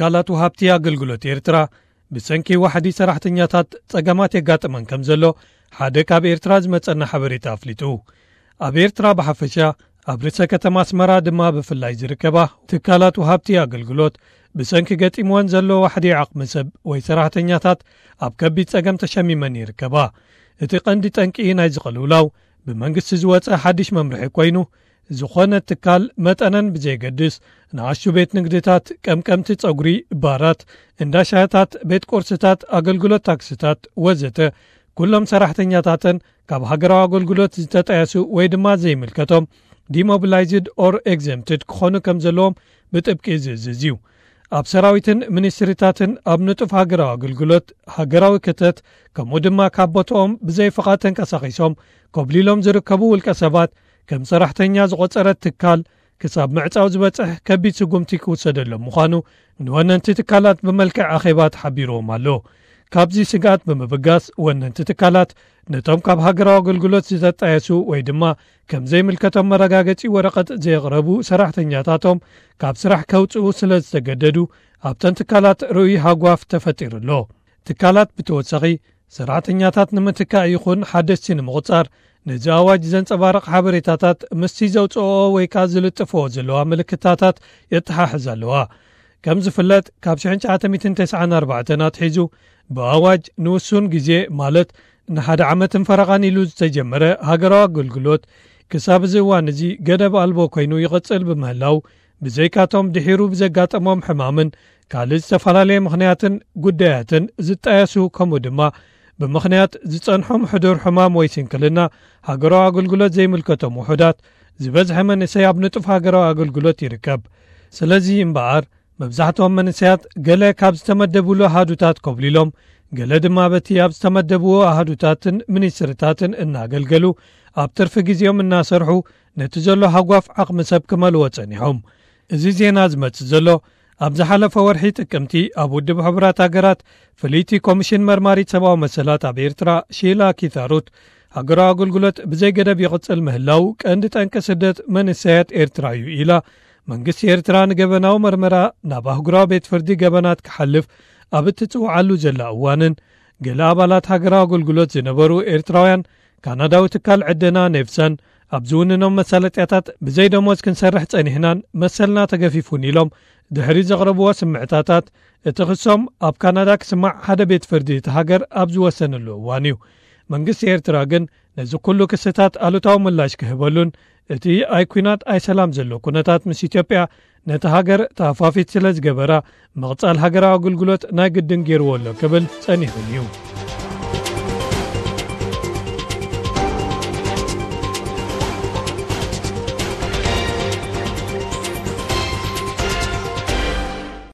ትካላት ወሃብቲ ኣገልግሎት ኤርትራ ብሰንኪ ዋሕዲ ሰራሕተኛታት ጸገማት የጋጥመን ከም ዘሎ ሓደ ካብ ኤርትራ ዝመጸና ሓበሬታ ኣፍሊጡ። ኣብ ኤርትራ ብሓፈሻ፣ ኣብ ርእሰ ከተማ ኣስመራ ድማ ብፍላይ ዝርከባ ትካላት ወሃብቲ ኣገልግሎት ብሰንኪ ገጢምወን ዘሎ ዋሕዲ ዓቕሚ ሰብ ወይ ሰራሕተኛታት ኣብ ከቢድ ጸገም ተሸሚመን ይርከባ። እቲ ቀንዲ ጠንቂ ናይዚ ቅልውላው ብመንግስቲ ዝወጸ ሓድሽ መምርሒ ኮይኑ፣ ዝኾነ ትካል መጠነን ብዘየገድስ ንኣሽቱ ቤት ንግድታት፣ ቀምቀምቲ ጸጉሪ፣ ባራት፣ እንዳ ሻህታት፣ ቤት ቁርስታት፣ ኣገልግሎት ታክስታት ወዘተ ኩሎም ሰራሕተኛታተን ካብ ሃገራዊ ኣገልግሎት ዝተጠየሱ ወይ ድማ ዘይምልከቶም demobilized or exempted ክኾኑ ከም ዘለዎም ብጥብቂ ዝእዝዝ እዩ። ኣብ ሰራዊትን ሚኒስትሪታትን ኣብ ንጡፍ ሃገራዊ ኣገልግሎት፣ ሃገራዊ ክተት፣ ከምኡ ድማ ካብ ቦታኦም ብዘይ ፍቓድ ተንቀሳቒሶም ኮብሊሎም ዝርከቡ ውልቀ ሰባት ከም ሰራሕተኛ ዝቖጸረት ትካል ክሳብ ምዕጻው ዝበጽሕ ከቢድ ስጉምቲ ክውሰደሎም ምዃኑ ንወነንቲ ትካላት ብመልክዕ ኣኼባ ተሓቢርዎም ኣሎ። ካብዚ ስግኣት ብምብጋስ ወነንቲ ትካላት ነቶም ካብ ሃገራዊ ኣገልግሎት ዝተጣየሱ ወይ ድማ ከም ዘይምልከቶም መረጋገጺ ወረቐት ዘየቕረቡ ሰራሕተኛታቶም ካብ ስራሕ ከውጽኡ ስለ ዝተገደዱ ኣብተን ትካላት ርኡይ ሃጓፍ ተፈጢሩ ኣሎ። ትካላት ብተወሳኺ ሰራሕተኛታት ንምትካእ ይኹን ሓደስቲ ንምቑጻር ነዚ ኣዋጅ ዘንጸባርቕ ሓበሬታታት ምስቲ ዘውጽኦ ወይ ከኣ ዝልጥፍኦ ዘለዋ ምልክታታት የተሓሕዝ ኣለዋ። ከም ዝፍለጥ ካብ ሽሕን ትሽዓተ ሚእትን ተስዓን ኣርባዕተን ኣትሒዙ ብኣዋጅ ንውሱን ግዜ ማለት ንሓደ ዓመትን ፈረቓን ኢሉ ዝተጀመረ ሃገራዊ ኣገልግሎት ክሳብ እዚ እዋን እዚ ገደብ ኣልቦ ኮይኑ ይቕጽል ብምህላው ብዘይካቶም ድሒሩ ብዘጋጠሞም ሕማምን ካልእ ዝተፈላለየ ምኽንያትን ጉዳያትን ዝጣየሱ ከምኡ ድማ ብምኽንያት ዝጸንሖም ሕዱር ሕማም ወይ ስንክልና ሃገራዊ ኣገልግሎት ዘይምልከቶም ውሑዳት ዝበዝሐ መንእሰይ ኣብ ንጡፍ ሃገራዊ ኣገልግሎት ይርከብ። ስለዚ እምበኣር መብዛሕትኦም መንእሰያት ገለ ካብ ዝተመደብሉ ኣሃዱታት ኮብሊሎም፣ ገለ ድማ በቲ ኣብ ዝተመደብዎ ኣሃዱታትን ሚኒስትርታትን እናገልገሉ ኣብ ትርፊ ግዜኦም እናሰርሑ ነቲ ዘሎ ሃጓፍ ዓቕሚ ሰብ ክመልዎ ጸኒሖም። እዚ ዜና ዝመጽእ ዘሎ ኣብ ዝሓለፈ ወርሒ ጥቅምቲ ኣብ ውድብ ሕቡራት ሃገራት ፍልይቲ ኮሚሽን መርማሪት ሰብኣዊ መሰላት ኣብ ኤርትራ ሺላ ኪታሩት ሃገራዊ ኣገልግሎት ብዘይ ገደብ ይቕጽል ምህላው ቀንዲ ጠንቂ ስደት መንእሰያት ኤርትራ እዩ ኢላ። መንግስቲ ኤርትራ ንገበናዊ መርመራ ናብ ኣህጉራዊ ቤት ፍርዲ ገበናት ክሓልፍ ኣብ እትጽውዓሉ ዘላ እዋንን ገለ ኣባላት ሃገራዊ ኣገልግሎት ዝነበሩ ኤርትራውያን ካናዳዊ ትካል ዕደና ኔቭሰን ኣብ ዝውንኖም መሳለጥያታት ብዘይ ደሞዝ ክንሰርሕ ጸኒሕናን መሰልና ተገፊፉን ኢሎም ድሕሪ ዘቕረብዎ ስምዕታታት እቲ ክሶም ኣብ ካናዳ ክስማዕ ሓደ ቤት ፍርዲ እቲ ሃገር ኣብ ዝወሰነሉ እዋን እዩ። መንግስቲ ኤርትራ ግን ነዚ ኩሉ ክስታት ኣሉታዊ ምላሽ ክህበሉን እቲ ኣይ ኲናት ኣይ ሰላም ዘሎ ኩነታት ምስ ኢትዮጵያ ነቲ ሃገር ተሃፋፊት ስለ ዝገበራ ምቕጻል ሃገራዊ ኣገልግሎት ናይ ግድን ገይርዎ ኣሎ ክብል ጸኒሑን እዩ።